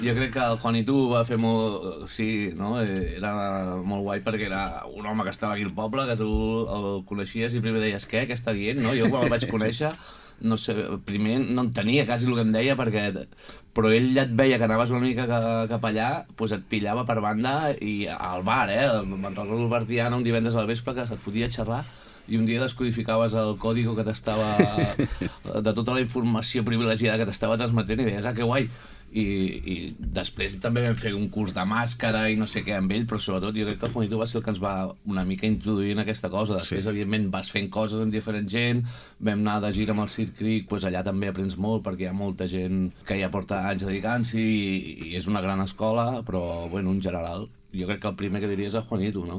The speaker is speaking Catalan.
Jo crec que el Juanito va fer molt... Sí, no? Era molt guai perquè era un home que estava aquí al poble, que tu el coneixies i primer deies, què està dient? No? Jo quan el vaig conèixer, no sé, primer no entenia quasi el que em deia perquè... Però ell ja et veia que anaves una mica cap allà, doncs et pillava per banda i al bar, me'n recordo el Bertiana un divendres al vespre que se't fotia a xerrar i un dia descodificaves el còdigo que t'estava... de tota la informació privilegiada que t'estava transmetent i deies, que guai! I després també vam fer un curs de màscara i no sé què amb ell, però sobretot jo crec que el Juanito va ser el que ens va una mica introduir en aquesta cosa. Després, evidentment, vas fent coses amb diferent gent, vam anar de gira amb el Circ Cric, doncs allà també aprens molt perquè hi ha molta gent que ja porta anys dedicant-s'hi i és una gran escola, però, bueno, en general, jo crec que el primer que diria és el Juanito, no?